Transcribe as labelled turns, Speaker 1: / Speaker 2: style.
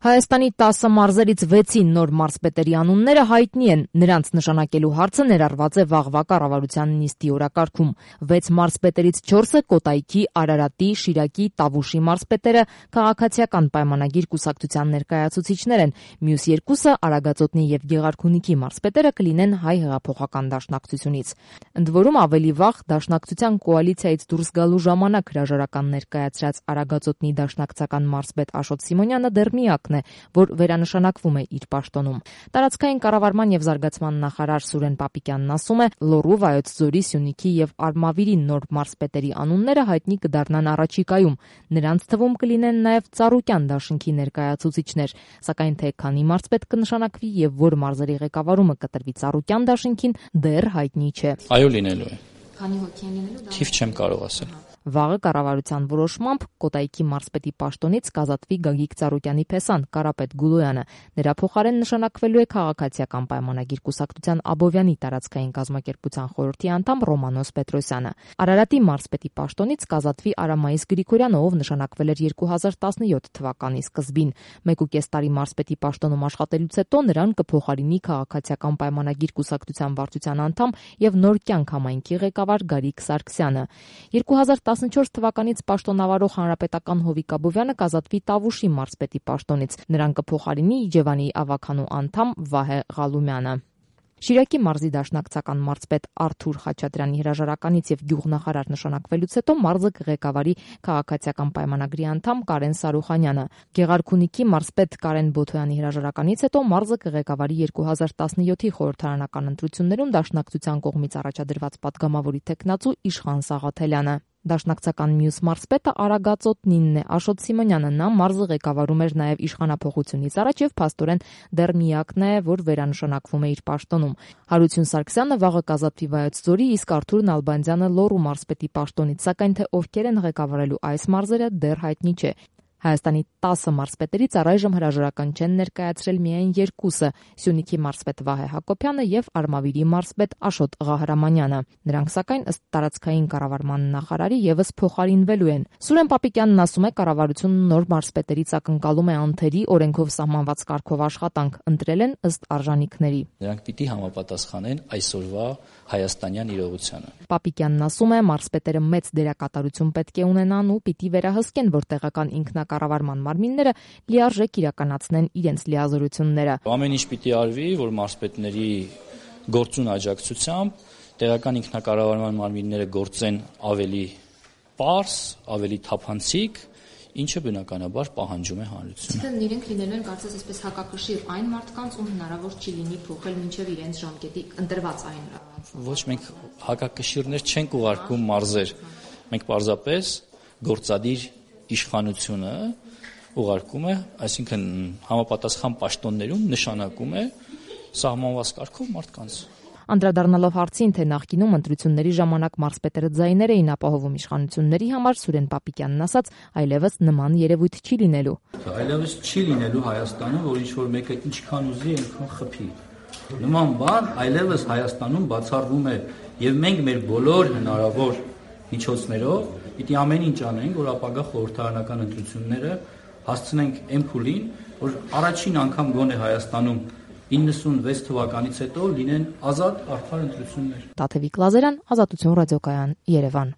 Speaker 1: Հայաստանի 10 մարզերից 6-ի նոր մարզպետերի անունները հայտնի են։ Նրանց նշանակելու հարցը ներառված է վաղվա կառավարության նիստի օրակարգում։ 6 մարզպետերից 4-ը Կոտայքի, Արարատի, Շիրակի, Տավուշի մարզպետերը քաղաքացիական պայմանագիր կուսակցության ներկայացուցիչներ են։ Մյուս 2-ը Արագածոտնի եւ Գեղարքունիքի մարզպետերը կլինեն Հայ հեղափոխական դաշնակցությունից։ Ընդ որում ավելի վաղ դաշնակցության կոալիցիայից դուրս գալու ժամանակ հրաժարական ներկայացրած Արագածոտնի դաշնակցական մարզպետ Աշոտ Սիմոնյանը դեռ միակն է, որ վերանշանակվում է իր պաշտոնում։ Տարածքային կառավարման եւ զարգացման նախարար Սուրեն Պապիկյանն ասում է, Լոռու, Վայոց ձորի, Սյունիքի եւ Արմավիրի նոր մարզպետերի անունները հայտնի կդառնան առաջիկայում։ Նրանց թվում կլինեն նաեւ Ծառուկյան դաշինքի ներկայացուցիչներ, սակայն թե քանի մարզպետ կնշանակվի եւ որ մարզերի ղեկավարումը կտրվի Ծառուկյան դաշինքին, դեռ հայտնի չէ։
Speaker 2: Այո, լինելու է։
Speaker 1: Քանի հոգի են լինելու։
Speaker 2: Թիվ չեմ կարող ասել։
Speaker 1: Վաղը կառավարության որոշմամբ Կոտայքի մարզպետի պաշտոնից կազատվի Գագիկ Ծառուկյանի փեսան Կարապետ Գուլոյանը։ Նրա փոխարեն նշանակվելու է քաղաքացիական պայմանագիր կուսակցության Աբովյանի տարածքային կազմակերպության խորհրդի անդամ Ռոմանոս Պետրոսյանը։ Արարատի մարզպետի պաշտոնից կազատվի Արամայիս Գրիգորյանը, ով նշանակվել էր 2017 թվականի սկզբին։ 1.5 տարի մարզպետի պաշտոնում աշխատելուց հետո նրան կփոխարինի քաղաքացիական պայմանագիր կուսակցության վարչության անդամ եւ Նոր կյանք համայնքի ղեկավար Գարիկ Սարգսյանը։ 2014 թվականից պաշտոնավարող հանրապետական Հովիկ Աբովյանը կազատվի Տավուշի մարզպետի պաշտոնից։ Նրան կփոխարինի Իջևանի ավականու անդամ Վահե Ղալումյանը։ Շիրակի մարզի դաշնակցական մարզպետ Արթուր Խաչատրյանի հրաժարականից եւ գյուղնախարար նշանակվելուց հետո մարզը կղեկավարի քաղաքացիական պայմանագրի անդամ Կարեն Սարուխանյանը։ Գեղարքունիքի մարզպետ Կարեն Բոթոյանի հրաժարականից հետո մարզը կղեկավարի 2017-ի խորհրդարանական ընտրություններում դաշնակցության կողմից առաջադրված падգամավորի տեխնացու Իշխան Սաղաթելյանը։ Դաշնակցական մյուս մարզպետը Արագածոտնինն է, Աշոտ Սիմոնյանը։ Նա մարզը ղեկավարում էր նաև իշխանափոխությունից առաջ եւ փաստորեն դեռ միակն է, որ վերանշանակվում է իր պաշտոնում։ Հարություն Սարգսյանը վաղը կազատվի Վայոց ձորի, իսկ Արթուր Նալբանդյանը Լոռու մարզպետի պաշտոնից, սակայն թե ովքեր են ղեկավարելու այս մարզերը դեռ հայտնի չէ։ Հայաստանի 10 մարզպետերից առայժմ հրաժարական չեն ներկայացրել միայն 2-ը՝ Սյունիքի մարզպետ Վահե Հակոբյանը եւ Արմավիրի մարզպետ Աշոտ Ղահրամանյանը։ Նրանք սակայն ըստ տարածքային կառավարման նախարարի եւս փոխարինվելու են։ Սուրեն Պապիկյանն ասում է, կառավարությունը նոր մարզպետերից ակնկալում է անթերի օրենքով սահմանված կարգով աշխատանք, ընտրել են ըստ արժանինքների։
Speaker 2: Նրանք պիտի համապատասխանեն այսօրվա հայաստանյան իրողությանը։
Speaker 1: Պապիկյանն ասում է, մարզպետերը մեծ դերակատարություն պետք է ունենան ու պիտի վերահսկեն, որ տեղական ինքնակառավարման մարմինները լիարժեք իրականացնեն իրենց լիազորությունները։
Speaker 2: Ամեն ինչ պիտի արվի, որ մարզպետների գործուն աջակցությամբ տեղական ինքնակառավարման մարմինները գործեն ավելի պարզ, ավելի թափանցիկ, ինչը բնականաբար պահանջում է հանրությունը։
Speaker 1: Այսինքն իրենք լինելու են կարծես այսպես հակակշիռ այն մարդկանց, ում հնարավոր չի լինի փոխել մինչև իրենց ժամկետի ընտրված այն։
Speaker 2: Ոչ, մենք հակակշիռներ չենք ուղարկում մարզեր։ Մենք պարզապես գործադիր իշխանությունը ուղարկում է, այսինքն համապատասխան պաշտոններում նշանակում է սահմանված կարգով մարդկանց։
Speaker 1: Անդրադառնալով հարցին, թե նախկինում ընտրությունների ժամանակ մարզպետերը ձայներ էին ապահովում իշխանությունների համար, Սուրեն Պապիկյանն ասաց, այլևս նման երևույթ չի լինելու։
Speaker 3: Այլևս չի լինելու Հայաստանում, որ ինչ-որ մեկը ինչքան ուզի, այնքան խփի։ Նման բան այլևս Հայաստանում բացառվում է եւ մենք մեր բոլոր հնարավոր միջոցներով պիտի ամեն ինչ անենք, որ ապագա խորհրդարանական ընտրությունները հասցնենք այն փուլին, որ առաջին անգամ գոնե Հայաստանում 96 թվականից հետո լինեն ազատ արդար ընտրություններ։
Speaker 1: Տաթևիկ Լազարյան, Ազատություն ռադիոկայան, Երևան։